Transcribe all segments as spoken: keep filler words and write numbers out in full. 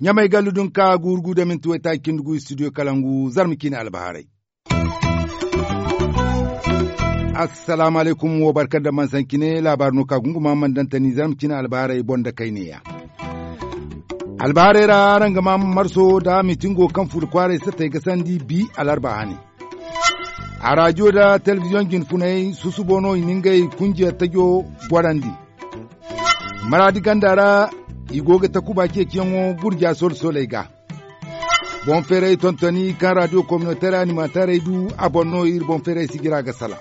Ɲamay gallu dun ka guuru gu da minti waytaaci cindi gu studio kalangu zarma ciine albahaarey. Assalaamu alaykum wo barka da mansancine laabaari no ka gunguma man dantani zarma ciine albahaarey boŋ da kayneya. Albahaarey ra araŋ ga ma marso da mitingo kaŋ furo kwaaray satey ga sandi bi alarba hane. A rajo da telebiziyoŋ jinfunay susubo no i na ngey kunjiya tajo gorandi. Maraadi ganda ra i go ga takuba ceeciyaŋo gurja solo-soley ga. Boŋ feeray tontoni kaŋ radio kominoteer animateerey du a boŋ no iri boŋ feeray sijira ga salaŋ.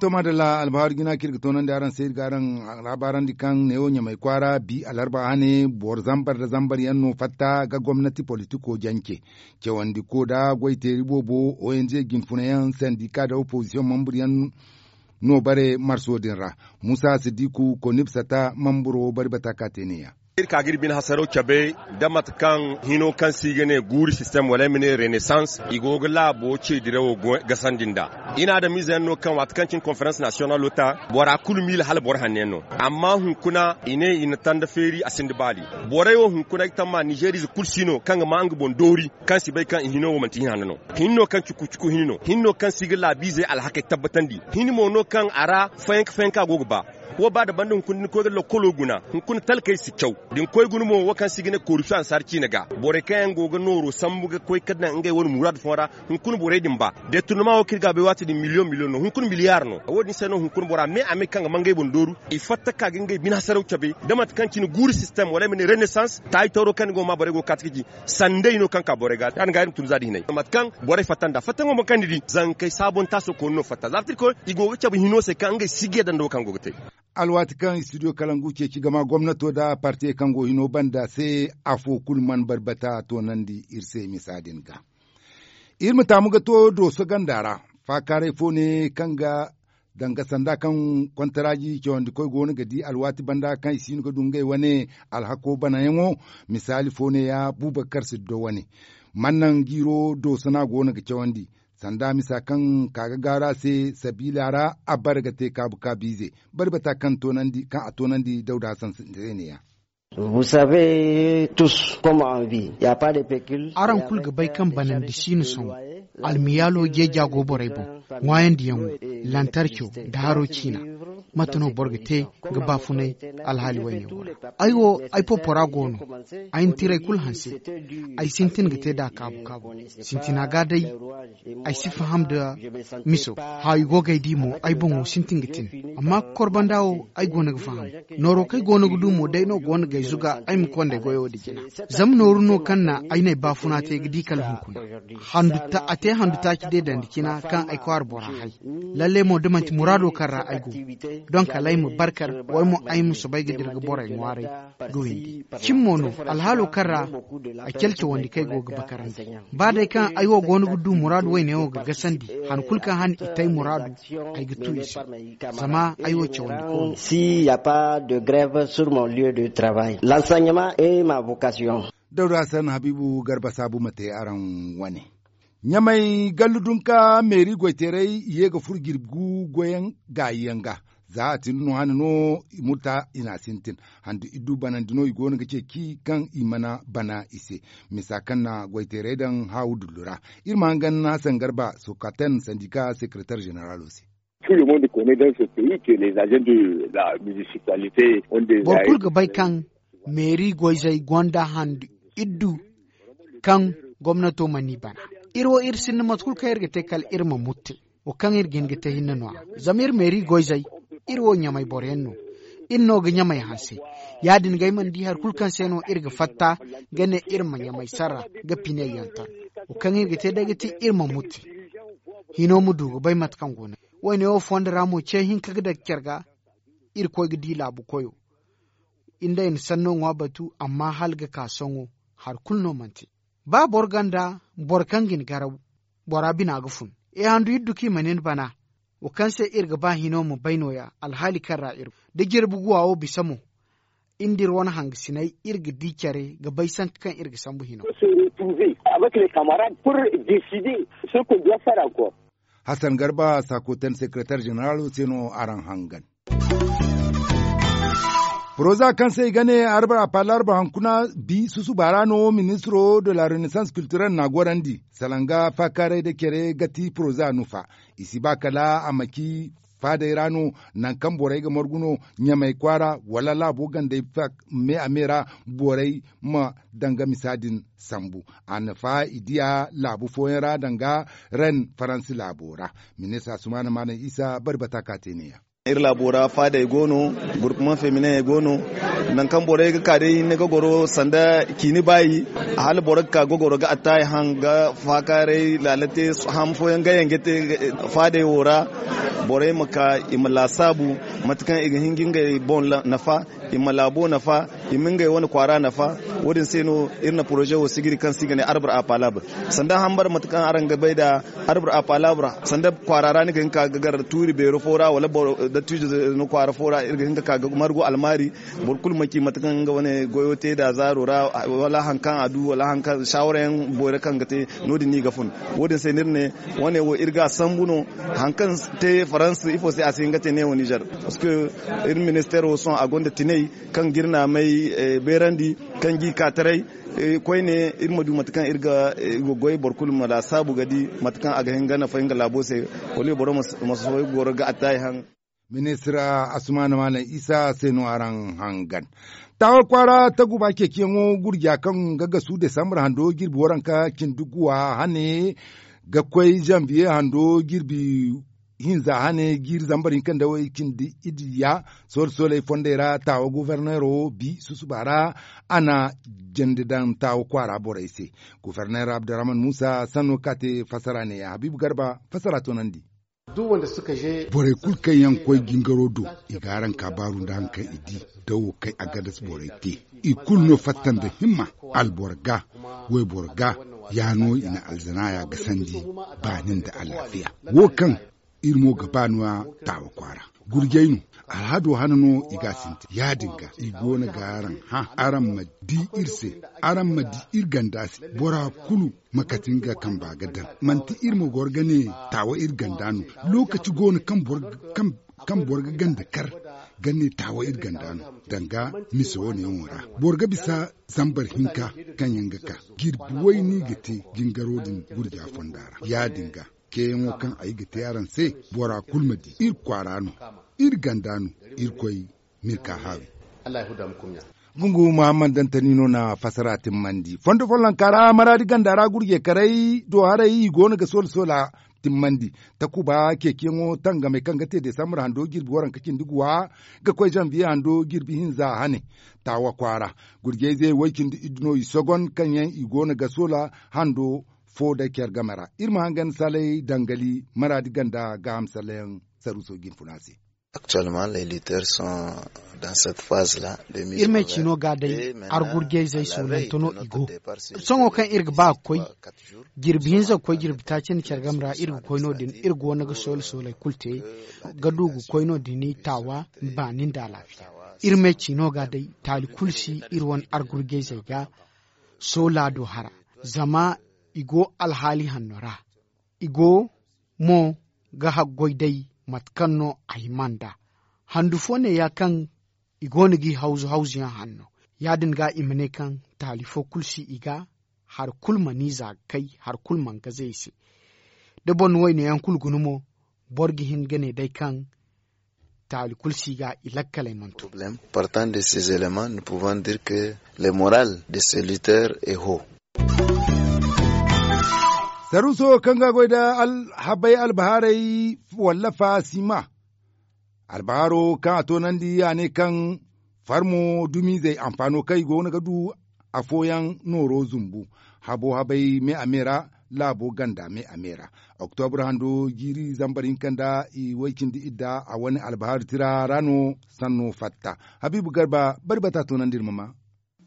To madalla albahaari jina kaŋ iri ga toonandi araŋ se iri ga araŋ laabaarandi kaŋ neewo ɲamay kwaara bi alarba hane boro zambar nda zambar yaŋ no fatta ga gomnati politiko jance. Cawandi ko nda goyteeri boobo ong jinfuna yaŋ sandika nda opozisiyoŋ mambur yaŋ no bare marso din ra. Muusa sidiku konib sata mamburo bari bata ka te ne- ya. Iri ka ga iri bine hasaraw cabe nda mate kaŋ hino kaŋ se i ga ne guuri sistem wala ay ma ne renesans i go ga laabo ce dirawo gasandi nd'a. I na adamiize yaŋ no kaŋ waati kaŋ cine konferans nasiyonalo ta bora kulu miila hala boro hanno yaŋ no. Amma hunkuna i ne i na tanda feeri a sinda baali. Borey wo hunkuna ay tamma nizeeriize kulu si no kaŋ ga ma nga boŋ doori kaŋ si bay kaŋ i hino wo manti hin hanno no. Hin no kaŋ cuku cuku hin no hin no kaŋ si ga laabiizey alhakey tabbatandi. Hin mo no kaŋ a ra fayanka fayanka go ga ba. Wo ba da banda hunkuna da ni koy ga lakkolo guna hunkuna talkey si caw. Da ni koy guna mo wo kaŋ se i ga ne korupsiyoŋ ansaari ciine ga borey kaŋ yaŋ go ga nooro sambu ga koy ga daŋ ngey wane muraadu fooyaŋ ra. Hunkuna borey din ba deturnama wo kaŋ iri ga a bay waati din miliyoŋ miliyoŋ no hunkuna miliyaar no. Wo- din se no hunkuna bora me a me kaŋ ga ma ngey boŋ dooru i fatta ka ga ngey bine hasaraw cabe da mate kaŋ cine guuri sistem wala ay ma ne renesans taayi tawro kaŋ ni go ga ma borey go ga kaati ga ci. Sanday no kaŋ ka borey ga ya- din ga iri ma tun za da hinay mate kaŋ borey fatta nd'a fattaŋo mo kaŋ ni di zankey saabon taaso koonu no fatta za fatta irkoy i go ga cabe hino se kaŋ ngey si ga yadda nda wo kaŋ go ga te. Alwaati kaŋ studio kalangu ceeci gama gomnato nda partiyey kaŋ go hino banda se afo kulu mana barbata toonandi iri se misa din ga. Iri ma taamu ga to dooso ganda ra faakaaray fo ne kaŋ ga danga sanda kaŋ kontaraaji cawandikoy go no ga di alwaati banda kaŋ i si no ga du ngey wane alhako banayaŋo. Misaali fo ne- ya buubakar siddo wane mana naŋ jiiro dooso no a go no ga cawandi. Sanda misa kaŋ ka ga gaaru a se sabiila ra a bare ga te kaabu kaabiize. Bari bata kaŋ a toonandi dawda hasan se ne- ya. Araŋ kulu ga bay kaŋ banandi si no sohõ. Almiyaalo jeeja go borey boŋ ŋwaayandiyaŋo lantarco nda haro ciina. Mate no boro ga te ga baafunay alhaali wayne wo ra? Ay wo ay popora go no. Ay na tirey kulu hanse. Ay sintin ga te nd'a kaabu kaabu. Sintina ga day ay si faham nda miso. Haawi go ga ay di mo ay boŋo sintin ga tin. Amma korbanda wo ay go no ga faham. Nooro kaŋ ay go no ga du mo day no go no ga ay zuga ay ma konda ay goyo nda jina. Zama nooru no kaŋ na ay n'ay baafuna te ga di kala hunkuna. A te handu taaci deedandi cina kaŋ ay kwaara bora hay. Lalle mo da manti muraado kaŋ ra ay go donk kala ay ma barkar wala mo ay ma soobay ga dira ga borey ŋwaaray ga windi. Cin mo no alhaalo kaŋ ra ay calcawandi kaŋ ay go ga bakarandi. Ba day kaŋ ay wo go no ga du muraadu wayne wo ga gasandi han kulu kaŋ han i te ay muraadu ay ga tu i se. Zama ay wo cawandi koonu. S'il n'y a pas de grève sur mon lieu de travail l'enseignement et ma vocation. Dawda hasan habiibu garba saabu ma te araŋ wane. Ɲamay gallu dunka meeri goyteeray i ye ga furo jirbi gu goyaŋ gaayi yaŋ ga. Za a tin no hane no i murta i n'a sintin. Handu iddu banandi no i go no ga ceeci kaŋ i mana bana i se. Misa kaŋ na goyteeray daŋ haawu dullu ra. Iri ma hangan hasan garba sokaten sandika sekeretar zeneralo se. Tout le monde connait dans ce pays que les agents de la municipalité ont des boro kulu ga bay kaŋ meeri goyzey gonda handu iddu kaŋ gomnato mana i bana. Iri wo iri sinda mate kulu kaŋ iri ga te kala iri ma murte. Wo kaŋ iri ga hin ga te hinne no- ya zama iri meeri goyzey iri wo ɲamay boroyaŋ no. Iri no ga ɲamay hanse. Ya- din ga ay mana di hari kulu kaŋ se no iri ga fatta ga ne iri ma ɲamay sarra ga piney yantar. Wo kaŋ iri ga te day ga ti iri ma murte. Hino ma du ga bay mate kaŋ go no. Wayne wo fondo ra mo ce hinka ga daga care ga. Irkoy ga di laabu koyo. Iri nd'ey na sanno ŋwa batu amma hala ga ka sohõ hari kulu no mana te. Ba boro ganda boro kaŋ ga ni garaw bora bina ga fun. E handu iddu kaŋ i ma nin bana. Wo kaŋ se iri ga ba hino ma bay no- ya alhaali kaŋ ra iri go da jirbi guwa wo bisa mo. iri nda iri wane hangasiney iri ga di care ga bay sanka kaŋ iri ga sambu hino. Hasan garba sakoten sekeretar zeneraalo se no araŋ hangan. Poroza kaŋ se i ga ne arbar a pala arbar hankuna bi susuba ra no ministro de la renaissance culturelle n'a gorandi salanga faakaaray nda care ga ti poroza nufa. I si ba kala a ma ci faadey ra no nangu kaŋ borey ga margu no ɲamay kwaara wala laabo gandey me a me ra borey ma danga misa din sambu. A nafa i diya laabu fooyaŋ ra danga ren faransi laabo ra. Ministra sumaana maalam isa bari bata ka te neeya. Iri laabo ra faadey go no, gurkuman feminey go no. Nangu kaŋ borey ga ka day ni ga goro sanda ciini baayi, hala boro ga ka ga goro ga attaayi haŋ ga faakaaray laala te. Ham fooyaŋ ga yaŋ ga te faadey wo ra. Borey ma ka i ma laasaabu mate kaŋ i ga hin ga ngey boŋ nafa, i ma laabo nafa, i ma ngey wane kwaara nafa. Wo- din se no iri na poroze wo sigiri kaŋ se i ga ne arbur a palabre. Sanda hambar mate kaŋ araŋ ga bay nd'a arbur a palabre, sanda kwaara ra ni ga hin ka ga gar tuuri beero fo ra wala dattijo no kwaara fo ra iri ga hin ka ka ga margu almaari. Boro kulu ma ci mate kaŋ nga wane goyo te nd'a zaaro ra, wala hari kaŋ a du wala hari kaŋ saawara yaŋ boyra kaŋ ga te. No- din no i ga fun. Wo- din se no iri ne wane wo iri ga a sambu no. Hari kaŋ te faransa ifo se a si hin ga te neewo nizer? Parceque iri ministeero sohõ a gonda tinay kaŋ ga iri naamay beerandi, kaŋ g'i ka taray. Koyne iri ma du mate kaŋ iri ga goy boro kulu ma laasaabu ga di mate kaŋ a ga hin ga nafa nga laabo se. Wala boro ma sohõ ga goro ga attaayi haŋ. Ministir asumaana maalam isa se no araŋ hangan. Taawa kwaara taguba ceeciyaŋo gurja kaŋ ga gasu desambar hando jirbi waranka cindi guwa hane ga koy zanbiye hando jirbi hinza hane jiiri zambar hinka nda way cindi iddiya. Soole sooley fondey ra taawa goforneero bi susuba ra a na jandi daŋ taawa kwaara borey se. Goforneer abdurrahman muusa sanno ka te fassara neeya habiibu garba fassara toonandi. Borey kulu kaŋ yaŋ koy jingaro do i ga araŋ ka baaru nda hari kaŋ i di da wo kaŋ agadas borey te. I kulu no fatta nda himma alboro ga wayboro ga ya no i na alzanaaya gasandi baani nda alaafiya. Wo kaŋ iri mo ga ba no-ya taawa kwaara gurjay no. Alhado hana no i ga a sintin ya-din ga i go no ga araŋ hã araŋ ma di iri se. Araŋ ma di iri ganda se bora kulu ma kati nga kamba ga daŋ. Manti iri ma goro ga ne taawa iri ganda no. Lookaci go no kaŋ boro ga ganda kar ga ne taawa iri ganda no. Danga mise wo- ne yaŋo ra boro ga bisa zambar hinka kaŋ yaŋ ga ka jirbi wayne i ga te jingaro din gurja fonda ra. Ya-din ga ceeyaŋo kaŋ ay ga te araŋ se bora kulu ma di iri kwaara no. Iri ganda no. Irkoy ma iri ka haawi. Gungu muhammad dantani no na fassara timmandi fondo follonka ra maraadi ganda ra gurjekaray do haray i go no ga soola soola timmandi. Takuba ceeciyaŋo tangamey kaŋ ga te desambar hando jirbi waranka cindi guwa ga koy zanbiye hando jirbi hinza hane. Taawa kwaara gurjayze way cindi iddu no i sogon kaŋ yaŋ i go no ga soola hando fo day care game ra. Iri ma hangan salay dangali maraadi ganda gaaham sallayaŋ saruuso jinfuna se. Actuellement les lutteurs sont dans cette phase là. Iri me ciino ga day argurjayzey soolante no i go. Sohõ kaŋ iri ga ba ga koy jirbi hinza ga koy jirbi taaci nda care game ra iri ga koy no- din iri go no ga soole sooley kulu te ga du ga koy no- din taawa baani nda alaafiya. Iri me ciino ga day taali kulu si iri wane argurjayzey ga soola do hara. Zama i go alhaali hanno ra i go mo ga haggoy day mate kaŋ no a hima nd'a. Handu fo neeya kaŋ i go no g'i hawzu hawzuyaŋ hanno. Ya-din ga i ma ne kaŋ taali fo kulu si i ga hari kulu mana i za ga kay hari kulu mana gaze i se. Da boro na wayne yaŋ kulu guna mo boro ga hin ga ne day kaŋ taali kulu si ga i lakkaley mana to. Partant de ces éléments nous pouvons dire que le moral de ce lutteur est haut. Saruuso kaŋ ga goy nda habay albahaarey wallafa sima. Albaharo kaŋ a toonandi a ne kaŋ farmo dumiizey anfaano kaŋ i go no ga du afooyaŋ nooro zumbu. Habo habay me a me ra laabo ganda me a me ra. Oktobra hando jiiri zambar hinka nda i way cindi idda a wane albahar tira ra no sanno fatta. Habiibu garba bari bata toonandi iri ma ma.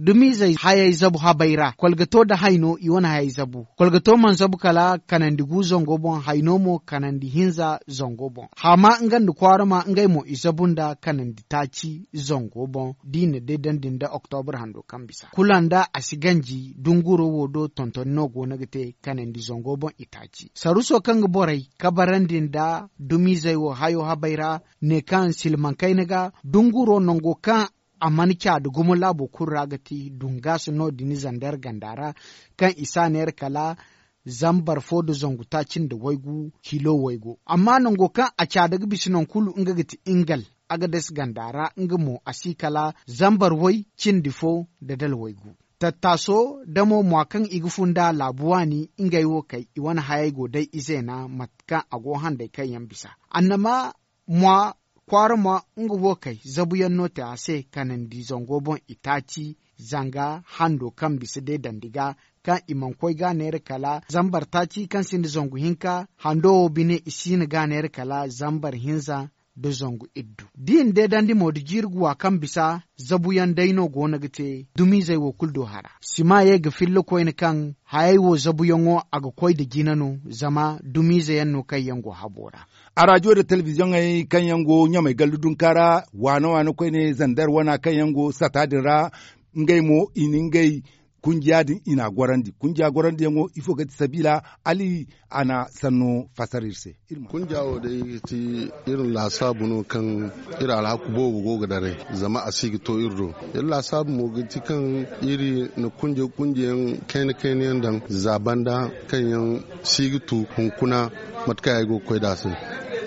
Dumizey hayey zabu habey ra kolgato nda hayno i wane hayey zabu. Kolgato mana zabu kala kanandi gu zango boŋ, hayno mo kanandi hinza zango boŋ. Haama nga nda kwaarama ngey mo i zabu nda kanandi taaci zango boŋ, da i na deedandi nda oktobur hando kaŋ bisa kula nda a si ganji dunguro wo do tontoni no go no ga te kanandi zango boŋ i taaci. Saruso kaŋ ga borey kabarandi nda dumizey wo hayo habey ra, ne kaŋ silmaŋ kayna ga dunguro nango kaŋ a mana ca da gumo laabo kulu ra ga ti dungaasi no- din zandeer ganda ra, kaŋ i si a neera kala zambar fo nda zangu taaci nda waygu kilo waygu. Amma nango kaŋ a ca da ga bisa naŋ kulu nga ga ti ingal, agades ganda ra nga mo a si kala zambar way cindi fo nda dala waygu. Tattaaso damo mwa kaŋ i ga fun nd'a laabu waani ngey wo kay i wane hayey go day izeena mate kaŋ a go handay kaŋ yaŋ bisa. Annama mwa kwaara mwa nga wo kay zabuyaŋ no te a se kanandi zango boŋ i taaci. Zanga hando kaŋ bisa deedandi ga kaŋ i mana koy ga neera kala zambar taaci kaŋ sinda zangu hinka hando wo bine i siina ga neera kala zambar hinza nda zangu iddu. Da i na deedandi mo nda jiiri guwa kaŋ bisa zabuyaŋ day no go no ga te dumizey wo kulu do hara sima ye ga filla koyne kaŋ hayey wo zabuyaŋo a ga koy nda jina no zama dumizey yaŋ no kaŋ yaŋ go habo ra. Arajo nda telebiziyoŋey kaŋ yaŋ go ɲamey gallu dunka ra waana waana koyne zander wana kaŋ yaŋ go sata din ra ngey mo i na ngey kunjiya din i n'a gorandi kunjiya gorandiyaŋo ifo ga ti sabiila ali a na sanno fasar iri se. Kunja wo day ga ti iri laasaabu no kaŋ iri alhaku boobo go ga daray zama a si ga to iri do. Iri laasaabu mo ga ti kaŋ iri na kunja kunjayaŋ kayna kayna yaŋ daŋ za banda kaŋ yaŋ si ga tu hunkuna mate kaŋ ay go ga koy nd'a se.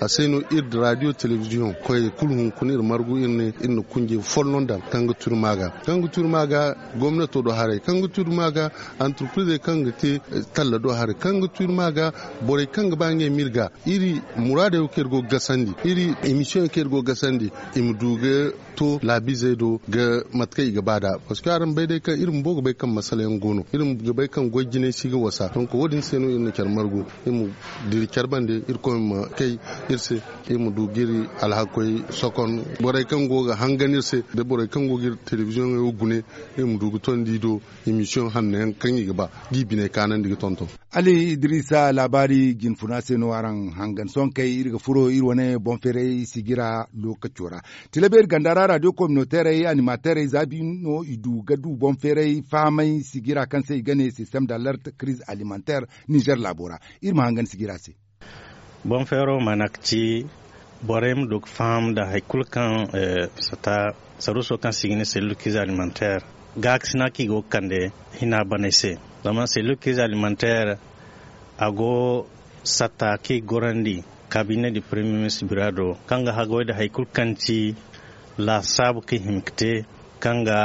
A se no iri da radio telebiziyoŋ koyey kulu hunkuna iri margu iri ne iri na kunjay folloŋ daŋ kaŋ ga turi maaga kaŋ ga turi maaga gomnato do haray kaŋ ga turi maaga antarprizey kaŋ ga te talla do haray kaŋ ga turi maaga borey kaŋ ga ba ngey ma iri ga iri muraadey wo kaŋ iri go ga gasandi iri emisiyoŋey kaŋ iri go ga gasandi i ma du ga to laabizey do ga mate kaŋ i ga ba nd'a. Parceque araŋ bay day kaŋ iri bumbo ga bay kaŋ masala yaŋ go no iri ga bay kaŋ goy jinay si ga wasa donk wo- din se no iri na care margu iri ma diri care bande irkoy ma kay iri se iri ma du ga iri alhakoy sokon borey kaŋ go ga hangan iri se da borey kaŋ go ga iri telebiziyoŋey wo gune iri ma du ga tondi i do emisiyoŋ hanno yaŋ kaŋ i ga ba da i biney kaanandi ga tonton. Ali idiriisa laabaari jinfuna se no araŋ hangan sohõ kay iri ga furo iri wane boŋ feeray sijira lookaco ra. Tilabeeri ganda ra radio kominoteerey animateerey za bi no i du ga du boŋ feeray fahamay sijira kaŋ se i ga ne sistem da alert kriz alimentaire nizer laabo ra. Iri ma hangan sijira se. Boŋ feero mana ga ci borey ma du ga faham nda hari kulu kaŋ sata saruuso kaŋ se i ga ne selil kriz alimentaire gaakasina kaŋ i go ga kande hina baney se. Zama selil kriz alimentaire a go satta kaŋ i ga gorandi kabiine di premier ministre bira do kaŋ ga haggoy nda hari kulu kaŋ ci laasaabu kaŋ i hima ga te kaŋ ga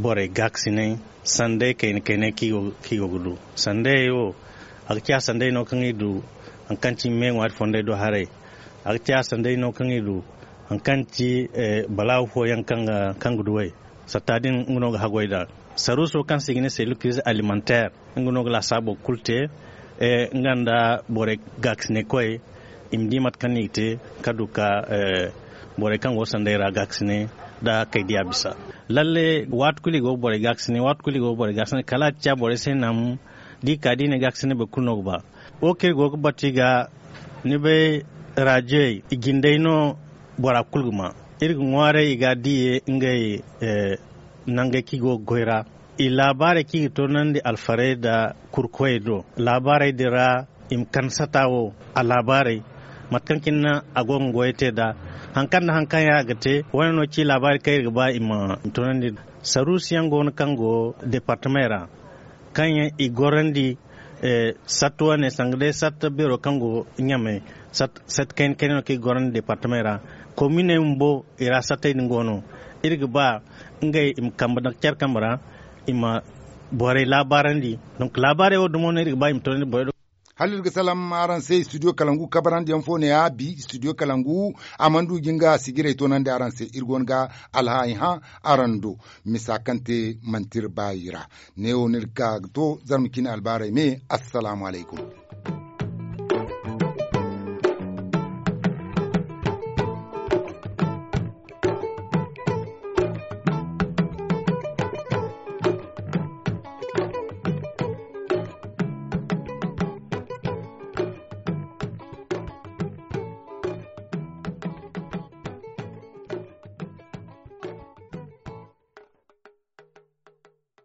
borey gaakasinay sanday kayna kaynay kaŋ i go ga du. Sandayey wo a ga ciya sanday no kaŋ i du hari kaŋ ci me ŋwaari fondey do haray. A ga ciya sanday no kaŋ i du hari kaŋ ci balaawu fooyaŋ kaŋ ga duw'ey. Satta din nga no ga haggoy nd'a saruuso kaŋ se i ga ne selil kriz alimentaire nga no ga laasaabo kulu te. Nga nda borey gaakasinaykoy i ma di mate kaŋ no i ga te ka du ka borey kaŋ go sanday ra gaakasinay nda kay diya bisa. Lalle waati kulu i go ga borey gaakasinay waati kulu i go ga borey gaakasinay kala a ga ciya borey se naŋ da i ka da i ne gaakasinay boro kulu no ga ba. Wo kaŋ iri go ga batu i ga ni bay raajiyey i jindey no bora kulu ga ma. Iri ga ŋwaaray i ga diye ngey nangey kaŋ i go ga goy ra i laabaarey kaŋ i ga toonandi alfarey nda kurkoyey do laabaarey din ra. I ma kande sata wo a laabaarey mate kaŋ cine a go ga goyey te nd'a hari kaŋ nda hari kaŋ yaŋ a ga te wane no ci laabaari kaŋ iri ga ba i ma toonandi. Saruusu yaŋ go no kaŋ go deepartamey ra kaŋ yaŋ i gorandi satta wane sanga day satta beero kaŋ go ɲamey. Satta kayna kayna no kaŋ i gorandi deepartamey ra kominey bumbo i ra sattey din go no. Iri ga ba ngey i ma kambe daŋ care kambe ra i ma borey laabaarandi. Donk laabaarey wo dumo no iri ga ba i ma toonandi borey do. Hala iri ga salaŋ araŋ se istudiyo kalangu kabarandiyaŋ fo ne-ya bi istudiyo kalangu a mana du jin ga sijirey toonandi araŋ se iri go no ga alhaay hã araŋ do. Misa kaŋ te manti iri baayi ra. Neewo no iri ga ka ga to zarma cine albaarey me. Assalaamu alaykum.